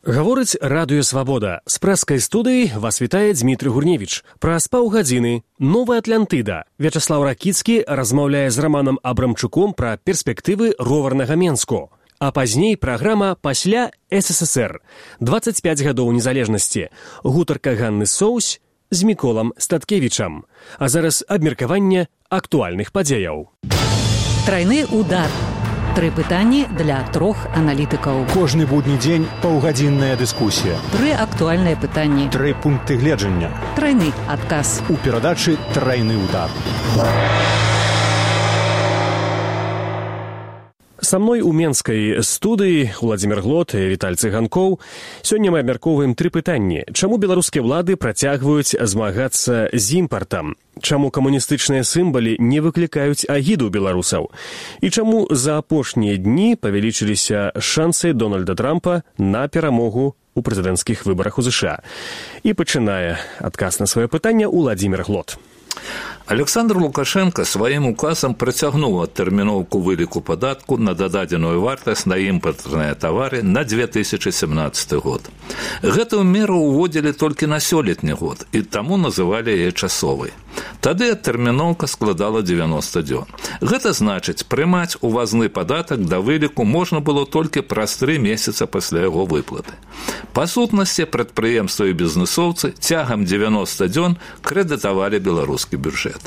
Гаворыць Радыё Свабода. З прэскай студыі вас вітае Дмітрый Гурневіч. Праз паўгадзіны «Новая Атлантыда». Вячаслаў Ракіцкі размаўляе з Раманам Абрамчуком пра перспектывы роварнага Менску. А пазней праграма «Пасля СССР». 25 гадоў незалежнасці. Гутарка Ганны Соусь з Міколам Статкевічам. А зараз абмеркаванне актуальных падзеяў. Трайны удар. 3 пытанні для 3 аналітыкаў. Кожны будні дзень паўгадзінная дыскусія. 3 актуальныя пытанні. 3 пункты гледжання. Трайны адказ. У перадачы «Трайны удар». Са мной у менскай студыі Владзімір Глот і Віталь Цыганкоў. Сёння мы абмяркоўваем 3 пытанні. Чаму беларускія ўлады працягваюць змагацца з імпартам? Чаму камуністычныя сімвалы не выклікаюць агіду беларусаў? І чаму за апошнія дні павялічыліся шансы Дональда Трампа на перамогу у прэзідэнцкіх выбарах у ЗША? І пачынае адказ на сваё пытанне Владзімір Глот. Александр Лукашенко сваім указам працягнуў адтэрміноўку выліку падатку на дададзеную вартасць на імпартныя тавары на 2017 год. Гэтую меру ўводзілі толькі на сёлетні год, і таму называлі яе часовай. Тады адтэрміноўка складала 90 дзён. Гэта значыць, прымаць увазны падатак да выліку можна было толькі праз 3 месяца пасля яго выплаты. Па сутнасці, прадпрыемствы і бізнэсоўцы цягам 90 дзён крэдытавалі беларускі бюджэт.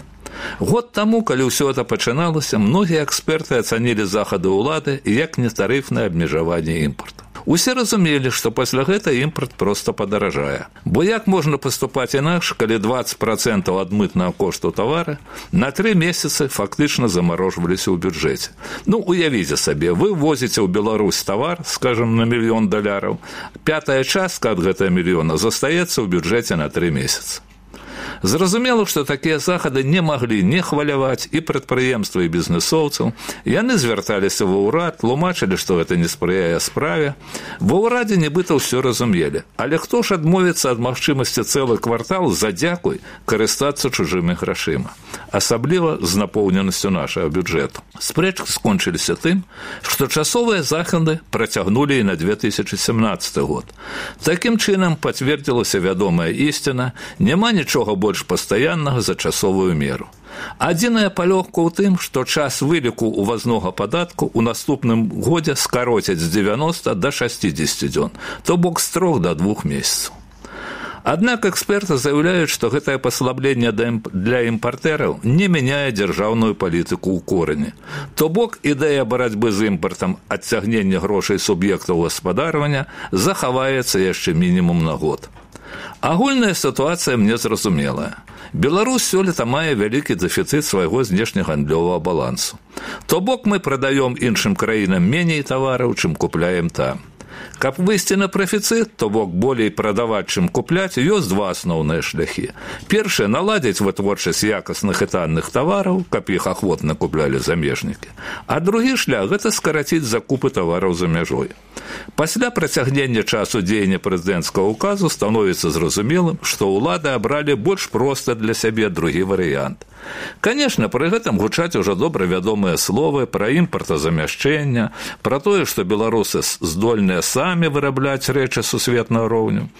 Год таму, калі ўсё гэта пачыналася, многія эксперты ацанілі захады ўлады як нетарыфнае абмежаванне імпарту. Усе разумелі, што пасля гэта імпарт проста падаражае. Бо як можна паступаць інакш, калі 20% ад мытнага кошту тавара на 3 месяцы фактычна замарожваліся ў бюджэце? Уявіце сабе, вы возіце ў Беларусь тавар, скажам, на $1 мільён, 5-я частка ад гэтага мільёна застаецца ў бюджэце на 3 месяцы. Зразумела, што такія захады не маглі не хваляваць і прадпрыемствы, і бізнэсоўцаў. Яны звярталіся ва ўрад, тлумачылі, што гэта не спрыяе справе. Ва ўрадзе нібыта ўсё разумелі. Але хто ж адмовіцца ад магчымасці цэлы квартал за дзякуй карыстацца чужымі грашыма? Асабліва з напоўненасцю нашага бюджэту. Спрэчкі скончыліся тым, што часовыя захады працягнулі і на 2017 год. Такім чынам пацвердзілася вядомая ісціна: няма нічога больш пастаяннага за часовую меру. Адзіная палёгка ў тым, што час выліку увазнога падатку ў наступным годзе скароцяць з 90 да 60 дзён, то бок з 3 да 2 месяцаў. Аднак эксперты заяўляюць, што гэтае паслабленне для імпартэраў не мяняе дзяржаўную палітыку ў корані. То бок ідэя барацьбы з імпартам, адцягнення грошай суб'ектаў гаспадарвання захаваецца яшчэ мінімум на год. Агульная сітуацыя мне зразумелая. Беларусь сёлета мае вялікі дэфіцыт свайго знешнегандлёвага балансу. То бок мы прадаём іншым краінам меней тавараў, чым купляем там. Каб выйсці на прафіцыт, то бок болей прадаваць, чым купляць, ёсць 2 асноўныя шляхі. Першае – наладзіць вытворчасць якасных і танных тавараў, каб іх ахвотна куплялі замежнікі. А другі шлях – гэта скараціць закупы тавараў за мяжой. Пасля працягнення часу дзеяння прэзідэнцкага указу становіцца зразумелым, што ўлады абралі больш проста для сябе другі варыянт. Канешне, пры гэтым гучаць ужо добра вядомыя словы пра імпартазамяшчэнне, пра тое, што беларусы здольныя самі вырабляць рэчы сусветнага роўню.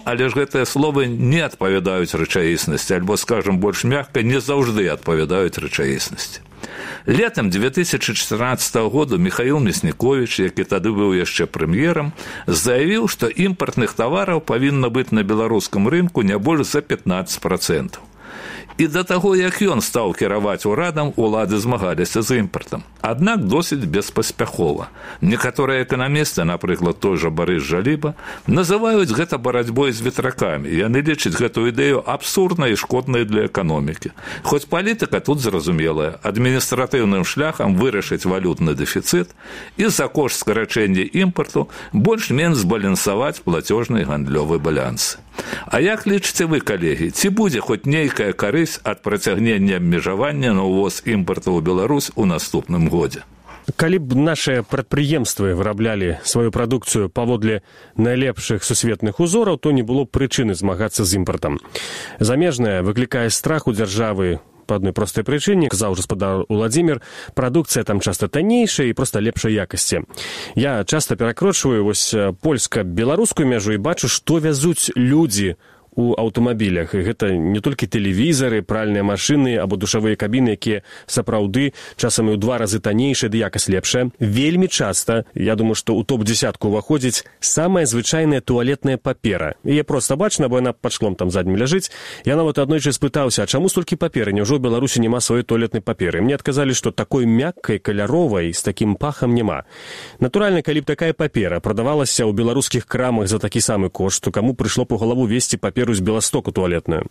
Але ж гэтыя словы не адпавядаюць рэчаіснасці, альбо, скажам больш мякка, не заўжды адпавядаюць рэчаіснасці. Летам 2014 году Михаил Мясніковіч, які тады быў яшчэ прэм'ерам, заявіў, што імпартных тавараў павінна быць на беларускім рынку не больш за 15%. І да таго, як ён стаў кіраваць урадам, улады змагаліся з імпартам. Аднак досыць беспаспяхова. Некаторыя эканамісты, напрыклад, той жа Барыс Жаліба, называюць гэта барацьбой з ветракамі. Яны лічаць гэту ідэю абсурднай і шкоднай для эканомікі. Хоць палітыка тут зразумелая. Адміністратыўным шляхам вырашыць валютны дэфіцыт і за кошт скарачэння імпарту больш-менш збалансаваць плацёжны і гандлёвы балансы. А як лічыце вы, калегі, ці будзе хоць нейкая карысць ад працягнення абмежавання на ўвоз імпарту ў Беларусь у наступным годзе? Калі б нашыя прадпрыемствы выраблялі сваю прадукцыю паводле найлепшых сусветных узораў, то не было прычыны змагацца з імпартам. Замежнае выклікае страх у дзяржавы па адной простай прычыне, казаў гаспадар Уладзімір, прадукцыя там часта таннейшая і проста лепшай якасці. Я часта перакрочваю вось польска-беларускую мяжу і бачу, што вязуць людзі у аўтамабілях. І гэта не толькі тэлевізары, пральныя машыны або душавыя кабіны, якія сапраўды часам і ў 2 разы таннейшыя, ды якасць лепшая. Вельмі часта, я думаю, што ў топ-10 уваходзіць самая звычайная туалетная папера. Яе проста бачна, бо яна пад шклом там заднім ляжыць. Я нават аднойчы спытаўся, а чаму столькі паперы? Няўжо ў Беларусі няма сваёй туалетнай паперы? Мне адказалі, што такой мяккай, каляровай, з такім пахам няма. Натуральна, калі б такая папера прадавалася ў беларускіх крамах за такі самы кошт, то каму прыйшло б у галаву весці паперу з Беластоку туалетную.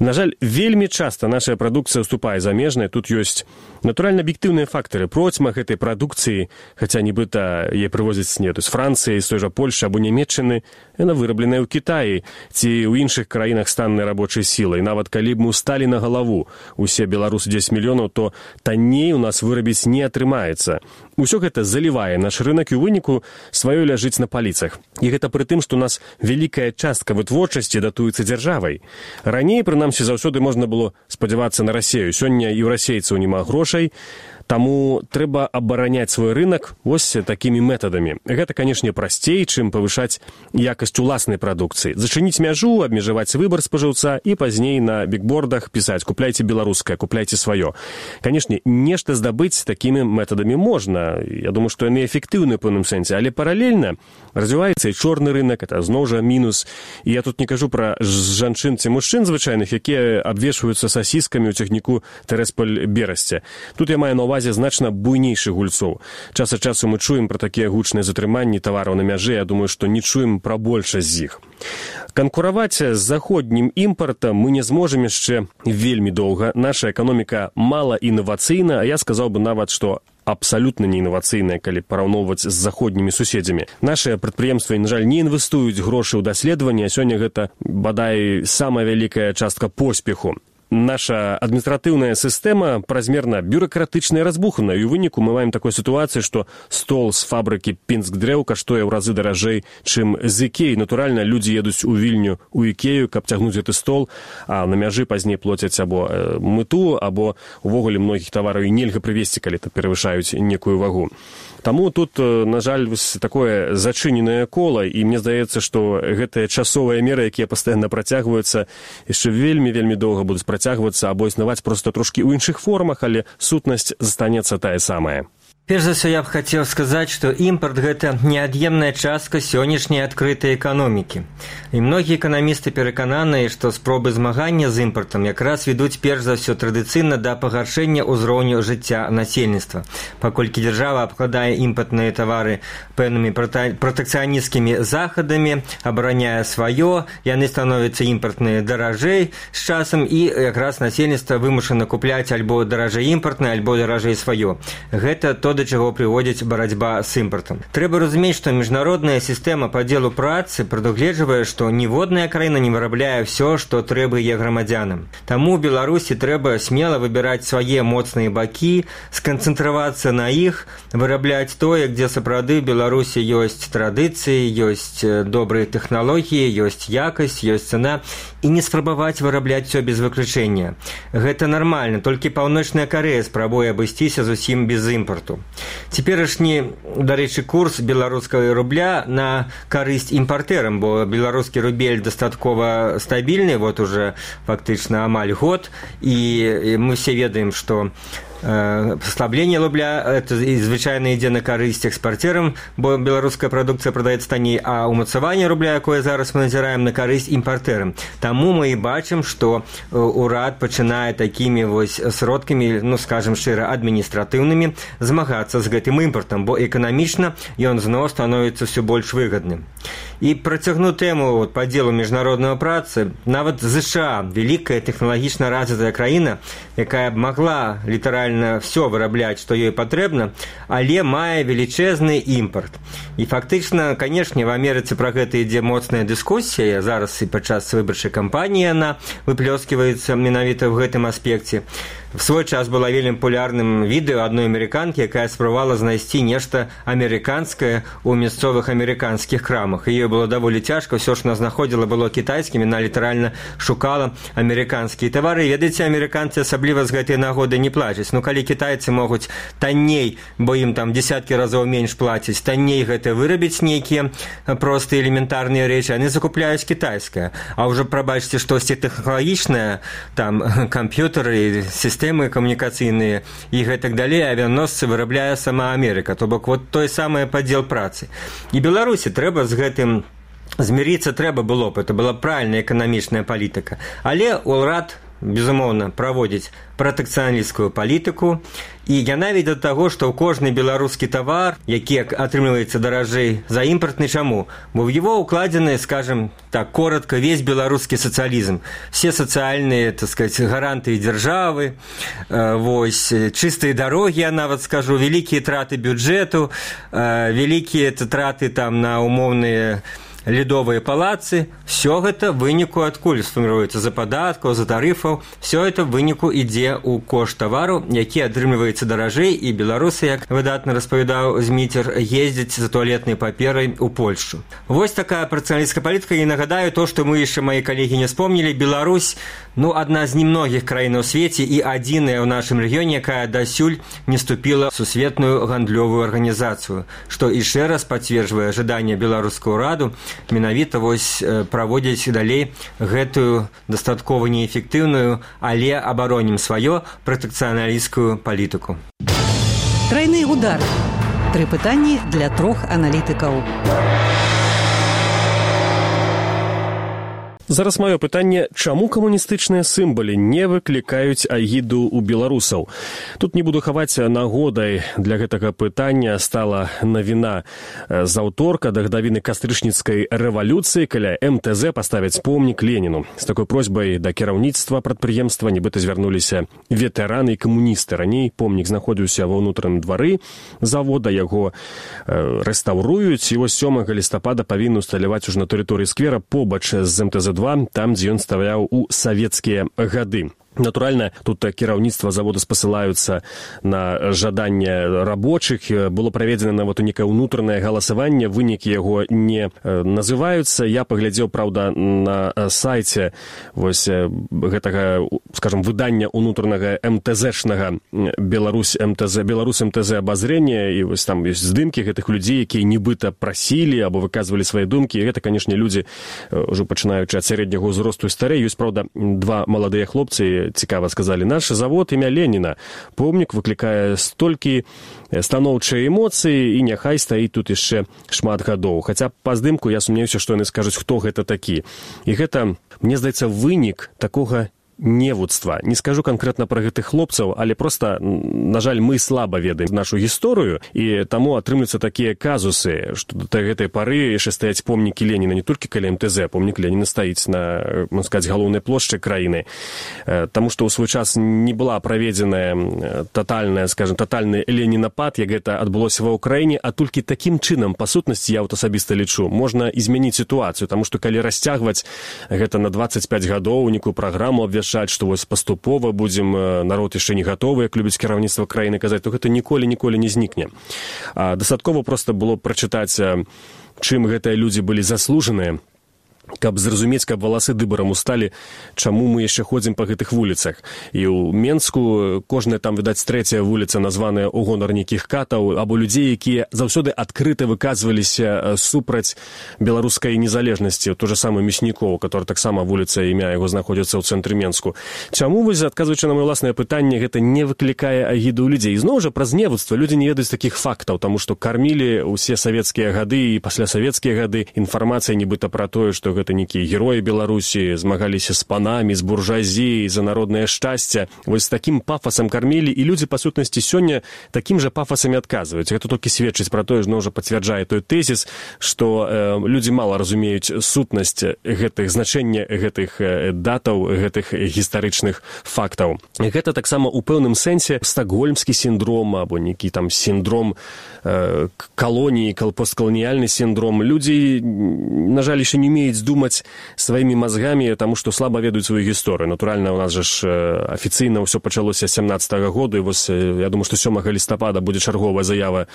На жаль, вельмі часта наша прадукцыя уступае замежнай. Тут ёсць натуральна аб'ектыўныя фактары. Процьма гэтай прадукцыі, хаця нібыта яе прывозяць не з Францыі, з той жа Польшы або Нямецчыны, яна вырабленая ў Кітаі ці ў іншых краінах з таннай рабочай сілай. Нават калі б мы ўсталі на галаву усе беларусы 10 мільёнаў, то танней у нас вырабіць не атрымаецца. Усё гэта залівае наш рынок і ў выніку сваё ляжыць на паліцах. І гэта пры тым, што у нас вялікая частка вытворчасці датуецца дзяржавай. Раней, прынамсі, заўсёды можна было спадзявацца на Расею. Сёння і ў расейцаў няма грошай, таму трэба абараняць свой рынок вось такімі метадамі. Гэта, канешне, прасцей, чым павышаць якасць уласнай прадукцыі. Зачыніць мяжу, абмежаваць выбар спажыўца і пазней на бікбордах пісаць «Купляйце беларускае, купляйце сваё». Канешне, нешта здабыць такімі метадамі можна. Я думаю, што яны эфектыўны ў пэўным сэнсе, але паралельна развіваецца і чорны рынок, это зноў жа мінус. І я тут не кажу пра жанчын ці мужчын звычайных, якія абвешваюцца сасіскамі ў цягніку Тэрасполь-Берасце. Тут я маю на ўвазе значна буйнейшых гульцоў. Час ад часу мы чуем пра такія гучныя затрыманні тавараў на мяжы, я думаю, што не чуем пра большасць з іх. Канкураваць з заходнім імпартам мы не зможам яшчэ вельмі доўга. Наша эканоміка мала інавацыйна, а я сказаў бы нават, што абсалютна не інавацыйная, калі параўноўваць з заходнімі суседзямі. Нашыя прадпрыемствы, на жаль, не інвестуюць грошы ў даследаванні, а сёння гэта, бадай, самая вялікая частка поспеху. Наша адміністратыўная сістэма празмерна бюракратычная, разбухана, і ў выніку мы маем такую сітуацыю, што стол з фабрыкі Пінск-Дрэў каштуе ў разы даражэй, чым з Ікеі. Натуральна, людзі едуць у Вільню, у Ікею, каб цягнуць гэты стол, а на мяжы пазней плоцяць або мыту, або увогуле многіх тавараў і нельга прывезці, калі то перавышаюць некую вагу. Таму тут, на жаль, такое зачыненае кола, і мне здаецца, што гэтыя часовыя меры, якія пастаянна працягваюцца, яшчэ вельмі доўга будуць працягвацца або існаваць проста трошкі ў іншых формах, але сутнасць застанецца тая самая. Перш за ўсё, я б хацеў сказаць, што імпарт – гэта неад'емная частка сённяшняй адкрытай эканомікі. І многія эканамісты перакананыя, што спробы змагання з імпартам якраз ведуць перш за ўсё традыцыйна да пагаршэння ўзроўню жыцця насельніцтва. Паколькі дзяржава абкладае імпартныя тавары пэўнымі пратэкцыянісцкімі захадамі, абараняе сваё, яны становяцца імпартныя даражэй з часам, і якраз насельніцтва вымушана купляць альбо даражэй імпартнае, альбо даражэй сваё. Гэта то, да чаго прыводзіць барацьба з імпартам. Трэба разумець, што міжнародная сістэма падзелу працы прадугледжвае, што ніводная краіна не вырабляе ўсё, што трэба яе грамадзянам. Таму Беларусі трэба смела выбіраць свае моцныя бакі, сканцэнтравацца на іх, вырабляць тое, дзе сапраўды в Беларусі ёсць традыцыі, ёсць добрыя тэхналогіі, ёсць якасць, ёсць цана, і не спрабаваць вырабляць усё без выключэння. Гэта нармальна, толькі Паўночная Карэя спрабуе абысціся зусім без імпарту. Цяперашні, дарэчы, курс беларускага рубля на карысць імпартэрам, бо беларускі рубель дастаткова стабільны, вот уже фактычна амаль год, і мы все ведаем, што послабление рубля это звычайна ідзе на карысць экспарцерам, бо беларуская прадукцыя прадаецца танней, а умацаванне рубля, якое зараз мы назіраем, на карысць імпартэрам. Таму мы і бачым, што урад пачынае такімі вось сродкамі, ну скажем шчыра, адміністратыўнымі змагацца з гэтым імпартам, бо эканамічна ён зноў становіцца ўсё больш выгадным. І працягну тэму падзелу міжнароднага працы. Нават ЗША, вялікая тэхналагічна развітая краіна, якая б магла літаральна все вырабляць, што ёй патрэбна, але мае велічэзны імпарт. І фактычна, канешне, в Амерыцы пра гэта ідзе моцная дыскусія, зараз і падчас выбарчай кампаніі яна выплёсківаецца менавіта ў гэтым аспекце. В свой час было вельмі популярным відэо адной амерыканкі, якая спрабавала знайсці нешта амерыканскае ў мясцовых амерыканскіх крамах. Ёй было даволі цяжка, ўсё ж она знаходзіла было кітайскім, яна літаральна шукала амерыканскія тавары. Ведаеце, амерыканцы асабліва з гэтай нагоды не плацяць. Ну калі кітайцы могуць танней, бо ім там десяткі разоў менш плацяць, танней гэта вырабіць нейкія простыя элементарныя рэчы, яны закупляюць кітайскае. А ўжо прабачце штосьці тэхналагічнае, там камп'ютары, сістэмы камунікацыйныя і гэтак далей, авіаносцы вырабляе сама Амерыка. То бок вот той самы падзел працы. І Беларусі трэба з гэтым змірыцца трэба было б, это была правільная эканамічная палітыка. Але ўрад, безумоўна, праводзіць пратэкцыяналісцкую палітыку, і яна вядзе да таго, што ў кожны беларускі тавар, які атрымліваецца даражэй за імпартны, чаму? Бо в его укладзены, скажем так, коротко, весь беларускі сацыялізм. Все сацыяльныя, так сказать, гарантыі дзяржавы, вось, чыстыя дарогі, я нават скажу, вялікія траты бюджэту, вялікія траты там на умоўныя ледовыя палацы, все гэта в выніку адкуль сфарміруецца за падаткаў, за тарыфаў, все это в выніку ідзе ў кошт тавару, які атрымліваецца даражэй, і беларусы, як выдатна распавядаў Зміцер, ездзяць за туалетнай паперай у Польшчу. Вось такая працыяналісцкая палітыка, і нагадаю то, што мы яшчэ, мои калегі, не вспомнілі. Беларусь, ну, адна з немногіх краін у свеце і адзіная ў нашым рэгіёне, якая дасюль не ступіла ў сусветную гандлёвую арганізацыю, што яшчэ раз пацверджвае жаданне беларускага ўраду менавіта вось праводзіць далей гэтую дастаткова неэфектыўную, але абаронім сваё пратэкцыяналісцкую палітыку. Трайны удар. 3 пытанні для 3 аналітыкаў. Зараз маё пытанне, чаму камуністычныя сімвалы не выклікаюць агіду ў беларусаў? Тут не буду хаваць, нагодай для гэтага пытання стала навіна з аўторка да гадавіны кастрычніцкай рэвалюцыі, каля МТЗ паставяць помнік Леніну. З такой просьбай да кіраўніцтва прадпрыемства нібыта звярнуліся ветэраны і камуністы. Раней помнік знаходзіўся ва ўнутраным двары завода, яго рэстаўруюць, і вось 7 лістапада павінны ўсталяваць ужо на тэрыторыі сквера побач з МТЗ-2, там, дзе ён стаяў у савецкія гады. Натуральна, тут кіраўніцтва завода спасылаюцца на жаданне рабочых. Было праведзена нават некае ўнутранае галасаванне, вынікі яго не называюцца. Я паглядзеў, праўда, на сайце вось гэтага, скажем, выдання ўнутранага МТЗ-шнага Беларусь МТЗ абазрення, і вось там ёсць здымкі гэтых людзей, якія нібыта прасілі або выказвалі свае думкі. І гэта, канешне, людзі, ўжо пачынаючы ад сярэдняга ўзросту і старэй. Ёсць, праўда, 2 маладыя хлопцы, цікава сказалі, наш завод імя Леніна. Помнік выклікае столькі станоўчыя эмоцыі, і няхай стаіць тут яшчэ шмат гадоў. Хаця па здымку я сумнеюся, што яны скажуць, хто гэта такі. І гэта, мне здаецца, вынік такога невуцтва. Не скажу конкретно про гэтых хлопцаў, але просто, на жаль, мы слаба ведаем нашу гісторыю, і таму атрымліваюцца такія казусы, што да гэтай пары яшчэ стаяць помнікі Леніна не толькі каля МТЗ, помнік Леніна стаіць на, можна сказаць, галоўнай плошчы краіны. Таму што ў свой час не была праведзеная тотальны ленінапад, як гэта адбылося ва ўкраіне, а толькі такім чынам, па сутнасці, я асабіста лічу, можна змяніць сітуацыю, таму што калі расцягваць гэта на 25 гадоў, нейкую праграму абвяшчаць, што вось паступова будзем, народ яшчэ не гатовы, як любіць кіраўніцтва краіны казаць, то гэта ніколі не знікне. Дастаткова проста было прачытаць, чым гэтыя людзі былі заслужаныя, каб зразумець, каб валасы дыбарам усталі, чаму мы яшчэ ходзім па гэтых вуліцах. І ў Менску кожная там, відаць, 3-я вуліца названая ў гонар нейкіх катаў, або людзей, якія заўсёды адкрыта выказваліся супраць беларускай незалежнасці. То же самае Мяснікоў, который таксама вуліца, імя яго знаходзіцца ў цэнтры Менску. Чаму, вось, адказваючы на маё ўласнае пытанне, гэта не выклікае агіду ў людзей? І зноў жа праз невуцтва людзі не ведаюць такіх фактаў, таму што кармілі ўсе савецкія гады і паслясавецкія гады інфармацыя нібыта пра тое, што гэта нейкія героі Беларусі, змагаліся з панамі, з буржуазіяй за народнае шчасце. Вось такім пафасам кармілі, і людзі, па сутнасці, сёння такім жа пафасамі адказваюць. Гэта толькі сведчыць пра тое, зноў жа пацвярджае той тэзіс, што людзі мала разумеюць сутнасць гэтых значэння гэтых датаў, гэтых гістарычных фактаў. Гэта таксама ў пэўным сэнсе стакгольмскі сіндром або нейкі там сіндром калоніі, посткаланіяльны сіндром. Людзі, на жаль, яшчэ не умеюць думаць сваімі мазгамі, таму што слаба ведаюць сваю гісторыю. Натуральна, у нас жа ж афіцыйна ўсё пачалося 17-го году, і вось я думаю, што 7 лістапада будзе чарговая заява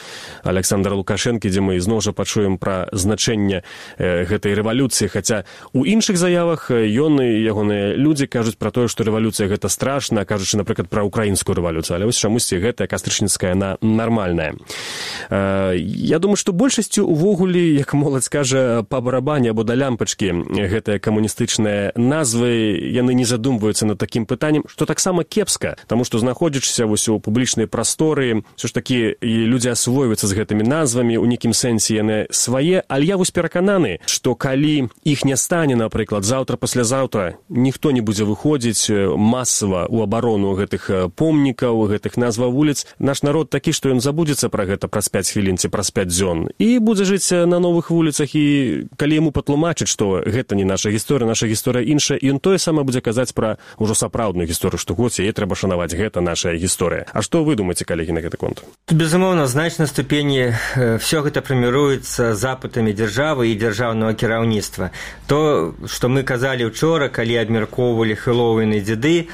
Александра Лукашэнкі, дзе мы зноў жа пачуем пра значэнне гэтай рэвалюцыі, хаця у іншых заявах ён і ягоныя людзі кажуць пра тое, што рэвалюцыя гэта страшна, кажучы, напрыклад, пра украінскую рэвалюцыю, але вось чамусьці гэтая кастрычніцкая, яна нармальная. Я думаю, што большасцю увогуле, як моладзь кажа, па барабане або да лямпачкі гэтыя камуністычныя назвы, яны не задумваюцца над такім пытаннем, што таксама кепска, таму што знаходзячыся вось у публічнай прасторы, ўсё ж такі людзі асвойваюцца з гэтымі назвамі, у нейкім сэнсе яны свае, але я вось перакананы, што калі іх не стане, напрыклад, заўтра-паслязаўтра, ніхто не будзе выходзіць масава ў абарону гэтых помнікаў, гэтых назваў вуліц, наш народ такі, што ён забудзецца пра гэта праз 5 хвілін ці праз 5 дзён і будзе жыць на новых вуліцах, і калі яму патлумачыць, што гэта не наша гісторыя іншая, і ён тое самае будзе казаць пра ўжо сапраўдную гісторыю, што хоць яе трэба шанаваць, гэта наша гісторыя. А што вы думаеце, калегі, на гэты конт? Безумоўна, значнай ступені все гэта фарміруецца запытамі дзяржавы і дзяржаўнага кіраўніцтва. То, што мы казалі учора, калі абмяркоўвалі Хэллоуін і дзеды,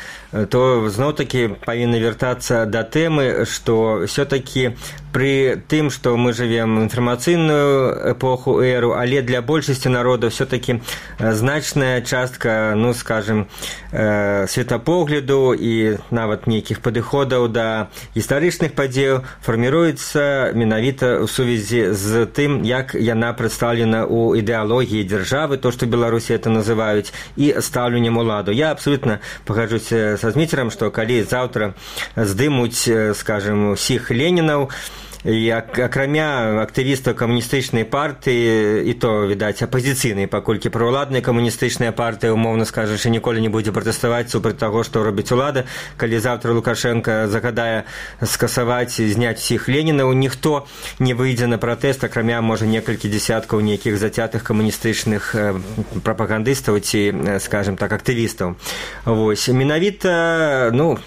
то зноў-такі павінны вяртацца да тэмы, што ўсё-такі пры тым, што мы жывем інфармацыйную эпоху, эру, але для большасці народа ўсё-такі значная частка, ну, скажем, светапогляду і нават нейкіх падыходаў да гістарычных падзеяў фарміруецца менавіта ў сувязі з тым, як яна прадстаўлена ў ідэалогіі дзяржавы, то, што Беларусі это называюць, і стаўленнем уладу. Я абсолютна пагаджуся са Зміцерам, што калі заўтра здымуць, скажем, усіх Ленінаў, і акрамя актывістаў камуністычнай партыі, і то, відаць, апазіцыйнай, паколькі праўладная камуністычная партыя, умоўна скажучы, ніколі не будзе пратэставаць супраць таго, што робіць улада. Калі заўтра Лукашенко загадае скасаваць і зняць усіх Ленінаў, ніхто не выйдзе на пратэст, акрамя, можа, некалькі дзесяткаў нейкіх зацятых камуністычных прапагандыстаў ці, скажем так, актывістаў. Вось, менавіта, ну,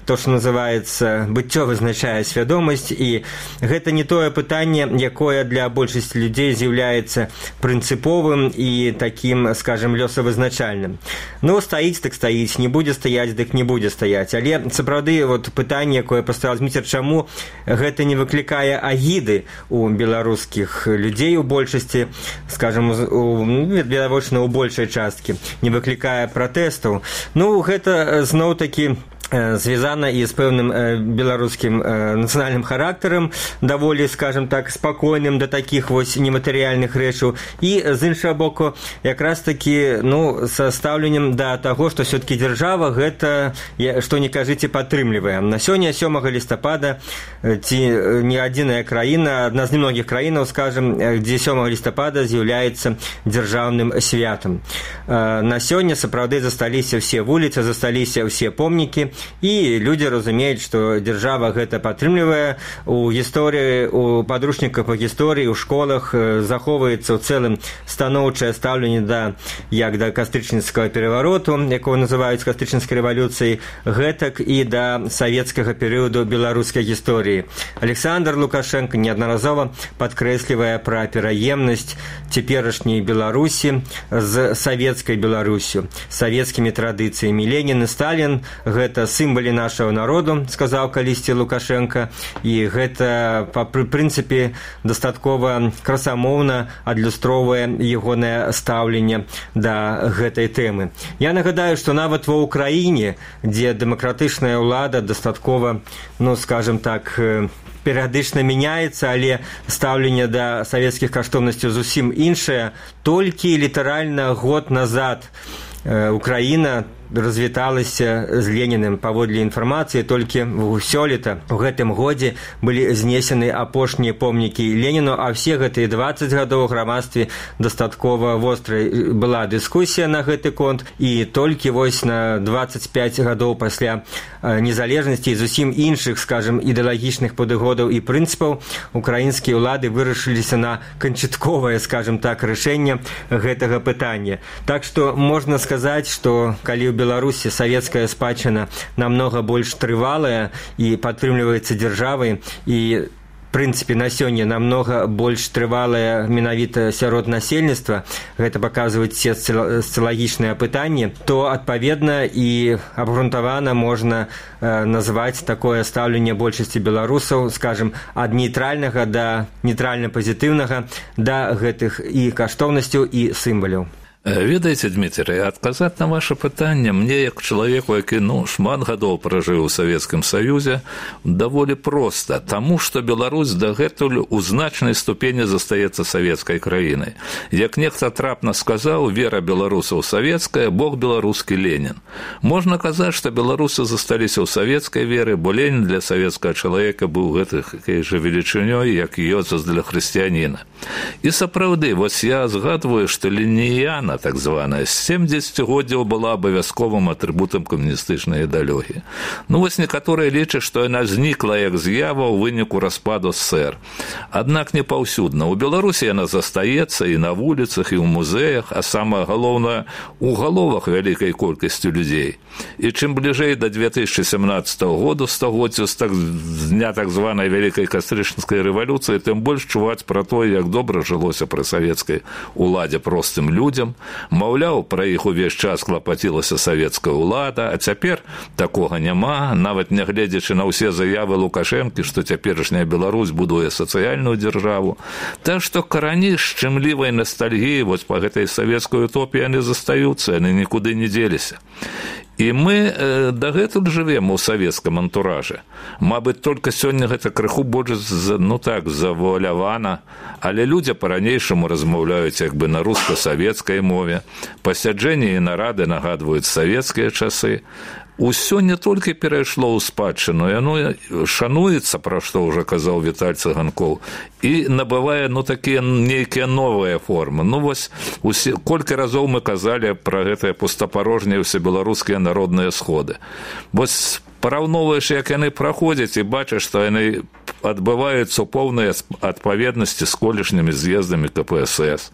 то, што называецца, быццё вызначае свядомасць, і гэта не тое пытанне, якое для большасці людзей з'яўляецца прынцыповым і такім, скажем, лёсавызначальным. Ну, стаіць, так стаіць, не будзе стаяць, дык не будзе стаяць. Але, сапраўды, вот пытанне, якое паставіў Зміцер, чаму гэта не выклікае агіды у беларускіх людзей у большасці, скажем, відавочна, у большай часткі, не выклікае пратэстаў. Ну, гэта зноў-такі звязана і з пэўным беларускім нацыянальным характарам, даволі, скажем так, спакойным да такіх вось нематэрыяльных рэчаў, і з іншага боку якраз такі, ну, са стаўленнем да таго, што все-таки дзяржава гэта, што не кажыце, падтрымлівае. На сёння 7 лістапада ці не адзіная краіна, адна з немногіх краінаў, скажем, дзе 7 лістапада з'яўляецца дзяржаўным святам. На сёння сапраўды засталіся ўсе вуліцы, засталіся ўсе помнікі, і людзі разумеюць, што дзяржава гэта падтрымлівае. У гісторыі, у падручніках па гісторыі, у школах захоўваецца ў цэлым станоўчае стаўленне як да кастрычніцкага перавароту, якого называюць кастрычніцкай рэвалюцыяй, гэтак і да савецкага перыяду беларускай гісторыі. Александр Лукашенко неаднаразова падкрэслівае пра пераемнасць цяперашняй Беларусі з савецкай Беларусю, савецкімі традыцыямі. Ленін і Сталін – гэта сімвалі нашага народу, сказаў калісьці Лукашенко, і гэта, пры прынцыпе, дастаткова красамоўна адлюстроўвае ягонае стаўленне да гэтай тэмы. Я нагадаю, што нават ва Ўкраіне, дзе дэмакратычная ўлада дастаткова, ну, скажем так, перыядычна мяняецца, але стаўленне да савецкіх каштоўнасцяў зусім іншае. Толькі літаральна год назад Украіна развіталася з Ленінам. Паводле інфармацыі, толькі сёлета у гэтым годзе былі знесены апошнія помнікі Леніну, а все гэтыя 20 гадоў у грамадстве дастаткова вострай была дыскусія на гэты конт, і толькі вось на 25 гадоў пасля незалежнасці і зусім іншых, скажем, ідэалагічных падыходаў і прынцыпаў украінскія ўлады вырашыліся на канчатковае, скажем так, рашэнне гэтага пытання. Так што можна сказаць, што калі ў Беларусі савецкая спадчына намнога больш трывалая і падтрымліваецца дзяржавай, і прынцыпе, на сёння намнога больш трывалая менавіта сярод насельніцтва, гэта паказваюць все сацыялагічныя апытанні, то, адпаведна, і абгрунтавана можна назваць такое стаўленне большасці беларусаў, скажем, ад нейтральнага да нейтральна-пазітыўнага да гэтых і каштоўнасцяў, і сімваляў. Ведаеце, Дмітрый, адказаць на ваше пытанне мне, як чалавеку, які шмат гадоў пражыў у Савецкім Саюзе, даволі проста, таму што Беларусь дагэтуль у значнай ступені застаецца савецкай краінай. Як нехта трапна сказаў, вера беларусаў савецкая, Бог беларускі Ленін. Можна казаць, што беларусы засталіся ў савецкай веры, бо Ленін для савецкага чалавека быў гэтай жа велічынёй, як Ёзеф для хрысціяніна. І сапраўды, вось я згадваю, што лініяна, так званая, з 70-годдзяў была абавязковым атрыбутам камуністычнай ідэалогіі. Вось некаторыя лічаць, што яна знікла як з'ява ў выніку распаду СССР. Аднак не паўсюдна. У Беларусі яна застаецца і на вуліцах, і ў музеях, а самае галоўнае, у галовах вялікай колькасцю людзей. І чым бліжэй да 2017 году, стагоддзя з дня так званай вялікай кастрычніцкай рэвалюцыі, тым больш чуваць пра тое, як добра жылося пры савецкай уладзе простым людзям. Маўляў, пра іх увесь час клапацілася савецкая ўлада, а цяпер такога няма, нават нягледзячы на ўсе заявы Лукашэнкі, што цяперашняя Беларусь будуе сацыяльную дзяржаву. Так што карані шчымлівай настальгіі вось па гэтай савецкай утопіі яны застаюцца, яны нікуды не дзеліся. І мы дагэтуль жывем у савецкам антуражы. Мабыць, толькі сёння гэта крыху больш, завуалявана, але людзі па-ранейшаму размаўляюць як бы на руска-савецкай мове. Пасяджэнні і нарады нагадваюць савецкія часы. Усё не толькі перайшло ў спадчыну, яно шануецца, пра што ўжо казаў Віталь Цыганкоў, і набывае, такія нейкія новыя формы. Вось, колькі разоў мы казалі пра гэтыя пустапарожнія ўсебеларускія народныя сходы. Вось параўноўваеш, як яны праходзяць, і бачыш, што яны адбываюцца ў поўнай адпаведнасці з колішнімі з'ездамі КПСС.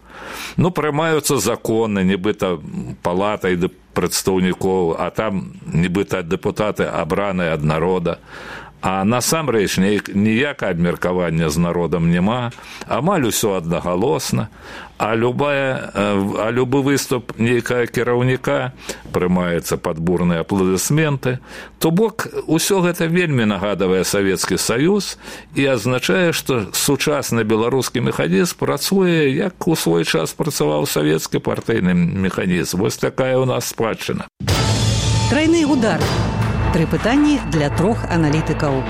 Прымаюцца законы, нібыта палатай прадстаўнікоў, а там нібыта дэпутаты абраныя ад народа. А насамрэч ніякае абмеркавання з народам няма, амаль усё аднагалосна, а любы выступ нейкага кіраўніка прымаецца пад бурныя апладысменты. То бок, усё гэта вельмі нагадвае Савецкі Саюз і азначае, што сучасны беларускі механізм працуе, як у свой час працаваў савецкі партыйны механізм. Вось такая ў нас спадчына. Трайны удар. 3 пытанні для 3 аналітыкаў.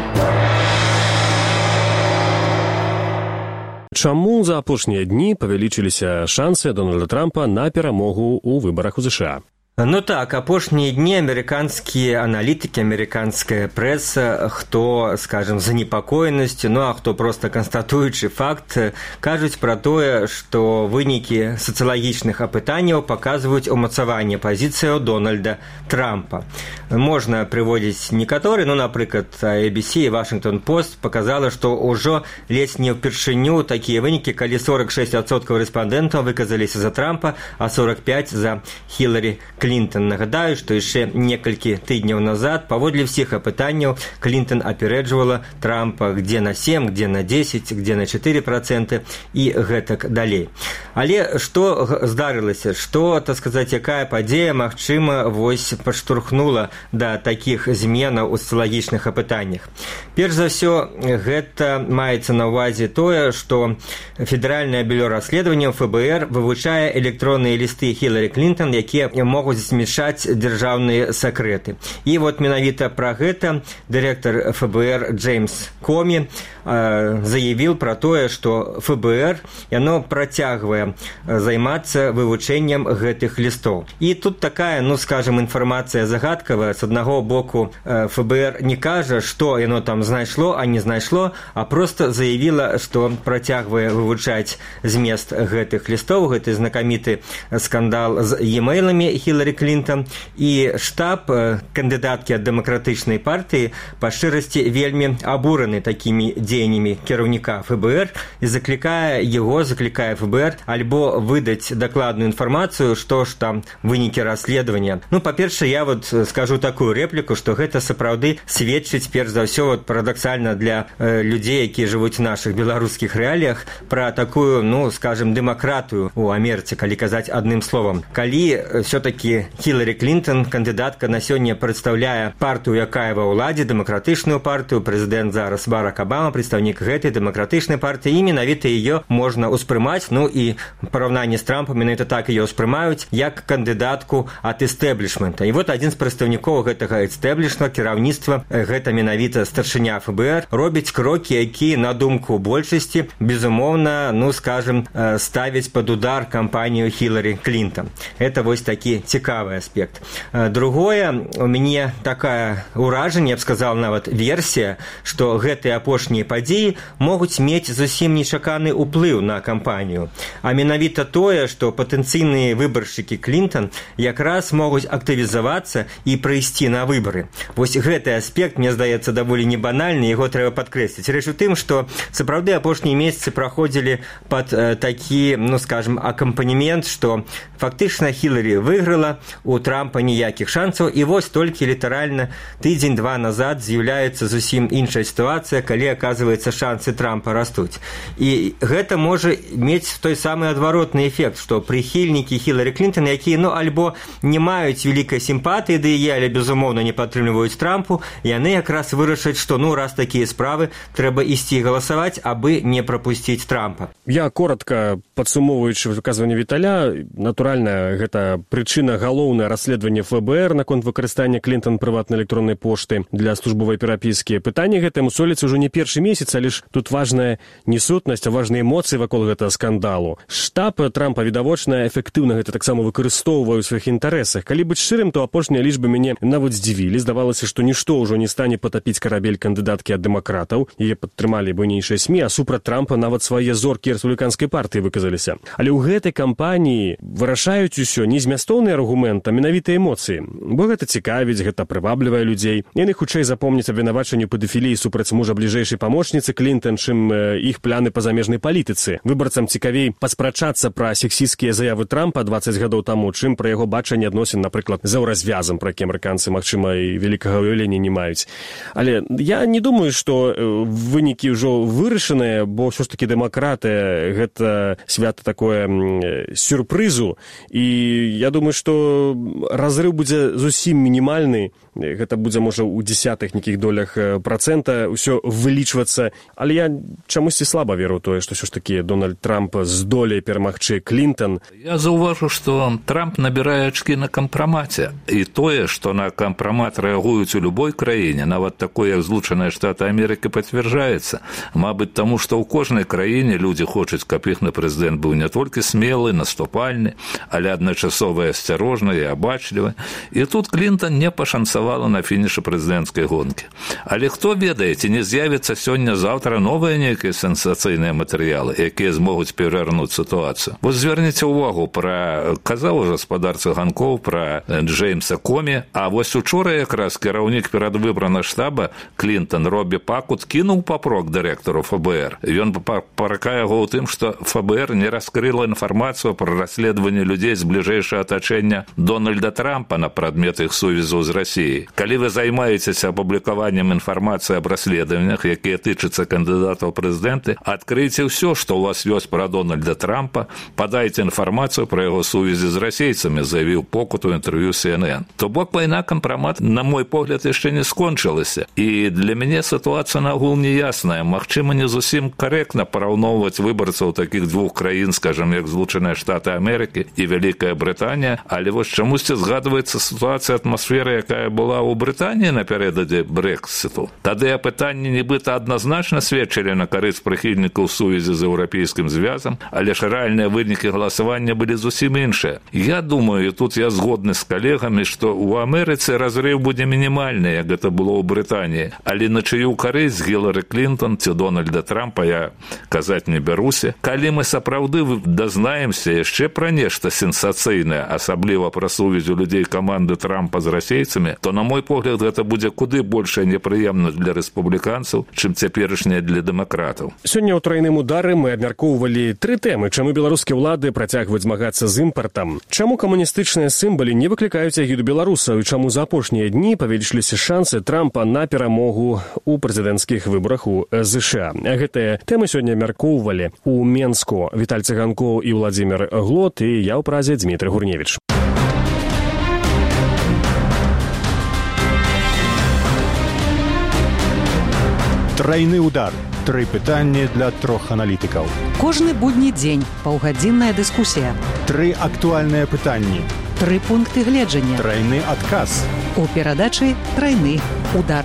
Чаму за апошнія дні павялічыліся шансы Дональда Трампа на перамогу ў выбарах у США? Апошнія дні амерыканскія аналітыкі, амерыканская прэса, хто, скажем, занепакоенасцю, а хто проста канстатуючы факт, кажуць пра тое, што вынікі сацыялагічных апытанняў паказваюць умацаванне пазіцыяў Дональда Трампа. Можна прыводзіць некаторы, напрыклад, ABC і Washington Post паказала, што ўжо ледзь не ўпершыню такія вынікі, калі 46% рэспандэнтаў выказаліся за Трампа, а 45% за Хіларі Клінтон. Нагадаю, што яшчэ некалькі тыдняў назад, паводле ўсіх апытанняў, Клінтон аперэджвала Трампа где на 7, где на 10, где на 4% і гэтак далей. Але што здарылася? Што, так сказаць, якая падзея, магчыма, вось падштурхнула да такіх зменаў у сацыялагічных апытаннях? Перш за ўсё, гэта маецца на ўвазе тое, што Федэральнае бюро расследаванняў ФБР вывучае электронныя лісты Хіларі Клінтон, якія могуць змяшаць дзяржаўныя сакрэты. І вот менавіта пра гэта дырэктар ФБР Джеймс Комі заявіў пра тое, што ФБР яно працягвае займацца вывучэннем гэтых лістоў. І тут такая, скажем, інфармацыя загадкавая. З аднаго боку, ФБР не кажа, што яно там знайшло, а не знайшло, а проста заявіла, што працягвае вывучаць змест гэтых лістоў. Гэты знакаміты скандал з e-мейлами Хіларі Хіларі Клінтон, і штаб кандыдаткі ад дэмакратычнай партыі па шчырасці вельмі абураны такімі дзеяннямі кіраўніка ФБР і заклікае ФБР альбо выдаць дакладную інфармацыю, што ж там вынікі расследавання. Па-першае, я скажу такую рэпліку, што гэта сапраўды сведчыць, перш за ўсё, парадаксальна для людзей, якія жывуць у нашых беларускіх рэаліях, пра такую, скажем, дэмакратыю у Амерыцы, калі казаць адным словам. Калі все-таки Хіларі Клінтон, кандыдатка, на сёння прадстаўляе партыю, якая ва ўладзе, дэмакратычную партыю, прэзідэнт зараз Барак Абама, прадстаўнік гэтай дэмакратычнай партыі, і менавіта яе можна ўспрымаць, і в параўнанні з Трампам менавіта так яе ўспрымаюць, як кандыдатку ад эстэблішмента. І адзін з прадстаўнікоў гэтага эстэблішмента, кіраўніцтва, гэта менавіта старшыня ФБР, робіць крокі, якія, на думку большасці, безумоўна, скажем, ставіць пад удар кампанію Хіларі Клінтон. Это такі цікавы аспект. Другое, у мяне такая ўражанне, я б сказал, нават версія, што гэтыя апошнія падзеі могуць мець зусім нечаканы ўплыў на кампанію. А менавіта тое, што патэнцыйныя выбаршчыкі Клінтон якраз могуць актывізавацца і прыйсці на выбары. Гэты аспект, мне здаецца, даволі не банальны, яго трэба падкрэсліць. Рэч у тым, што сапраўды апошнія месяцы праходзілі пад такі, скажем, акампанемент, што фактычна Хіларі выйграла, у Трампа ніякіх шансаў, і толькі літаральна тыдзень-два назад з'яўляецца зусім іншая сітуацыя, калі, аказваецца, шансы Трампа растуць. І гэта можа мець той самы адваротны эфект, што прыхільнікі Хіларі Клінтон, якія, альбо не маюць вялікай сімпатыі да яе, але, безумоўна, не падтрымліваюць Трампу, яны якраз вырашаць, што, раз такія справы, трэба ісці галасаваць, абы не прапусціць Трампа. Я коротка падсумоўваючы выказванне Віталя, натуральна, гэта прычына галоўнае расследаванне ФБР наконт выкарыстання Клінтон прыватнай электроннай пошты для службовай перапіскі. Пытанне гэтае мусоліцца ўжо не першы месяц, але ж тут важная не сутнасць, а важныя эмоцыі вакол гэтага скандалу. Штаб Трампа, відавочна, эфектыўна гэта таксама выкарыстоўвае ў сваіх інтарэсах. Калі быць шчырым, то апошнія лічбы мяне нават здзівілі. Здавалася, што нішто ўжо не стане патапіць карабель кандыдаткі ад дэмакратаў. Яе падтрымалі буйнейшыя СМІ, а супраць Трампа нават свае зоркі рэспубліканскай партыі выказаліся. Але ў гэтай кампаніі вырашаюць усё не змястоўны аргумент, а менавіта эмоцыі. Бо гэта цікавіць, гэта прываблівае людзей. Яны хутчэй запомняць абвінавачанню педафіліі супраць мужа бліжэйшай памочніцы Клінтон, чым іх планы па замежнай палітыцы. Выбарцам цікавей паспрачацца пра сексісцкія заявы Трампа 20 гадоў таму, чым пра яго бачанне адносін, напрыклад, за ўразвязам, пра які амерыканцы, магчыма, і вялікага ўяўлення не маюць. Але я не думаю, што вынікі ўжо вырашаныя, бо ўсё ж такі дэмакратыя гэта свята такое сюрпрызу, і я думаю, што разрыв будзе зусім мінімальны, гэта будзе, можа, у дзесятых нейкіх долях працэнта ўсё вылічвацца, але я чамусьці слаба веру ў тое, што ўсё ж такі Дональд Трамп здолее перамагчы Клінтон. Я заўважу, што Трамп набірае ачкі на кампрамаце, і тое, што на кампрамат рэагуюць у любой краіне, нават такое, як Злучаныя Штаты Амерыкі, пацвярджаецца. Мабыць, таму, што ў кожнай краіне людзі хочуць, каб іхны прэзідэнт быў не толькі смелы, наступальны, але адначасова асцярожны і абачлівы. І тут Клінтон не пашанцавала на фінішы прэзідэнцкай гонкі. Але хто ведае, ці не з'явіцца сёння-заўтра новыя нейкія сенсацыйныя матэрыялы, якія змогуць перавярнуць сітуацыю. Зверніце ўвагу, казаў ужо гаспадар Цыганкоў пра Джеймса Комі, а учора якраз кіраўнік перадвыбарнага штаба Клінтон Робі Пакут кінуў папрок дырэктару ФБР. Ён паракае яго ў тым, што ФБР не раскрыла інфармацыю пра расследаванне людзей з бліжэйшага атачэння Дональда Трампа на прадмет іх сувязу з Расіяй. Калі вы займаецеся апублікаваннем інфармацыі аб расследаваннях, якія тычацца кандыдатаў прэзідэнты, адкрыйце ўсё, што ў вас ёсць пра Дональда Трампа, падайце інфармацыю пра яго сувязі з расейцамі, заявіў Покут у інтэрв'ю CNN. То бок вайна кампрамат, на мой погляд, яшчэ не скончылася. І для мяне сітуацыя нагул неясная. Магчыма, не зусім карэктна параўноўваць выбарцаў такіх двух краін, скажам, як Злучаныя Штаты Амерыкі і Вялікая Брытанія, але чамусьці згадваецца сітуацыя атмасферы, якая была ў Брытаніі напярэдадзе Брэксіту. Тады пытанні нібыта адназначна сведчылі на карысць прыхільнікаў сувязі з еўрапейскім звязам, але ж рэальныя вынікі галасавання былі зусім іншыя. Я думаю, і тут я згодны з калегамі, што ў Амерыцы разрыв будзе мінімальны, як гэта было ў Брытаніі, але на чыю карысць Хіларі Клінтон ці Дональда Трампа я казаць не бяруся. Калі мы сапраўды дазнаемся яшчэ пра нешта сенсацыйнае, асабліва асабліва пра сувязь у людзей каманды Трампа з расейцамі, то, на мой погляд, гэта будзе куды большая непрыемнасць для рэспубліканцаў, чым цяперашняя для дэмакратаў. Сёння ў трайным удары мы абмяркоўвалі 3 тэмы, чаму беларускія ўлады працягваюць змагацца з імпартам, чаму камуністычныя сімвалы не выклікаюць агіду беларусаў і чаму за апошнія дні павялічыліся шансы Трампа на перамогу ў прэзідэнцкіх выбарах у ЗША. Гэтыя тэмы сёння абмяркоўвалі у Менску Віталь Цыганкоў і Владзімір Глот, і я ў празе Дмітрый Гурневіч. Трайны удар. 3 пытанні для 3 аналітыкаў. Кожны будні дзень паўгадзінная дыскусія. 3 актуальныя пытанні. 3 пункты гледжання. Трайны адказ. У перадачы «Трайны удар».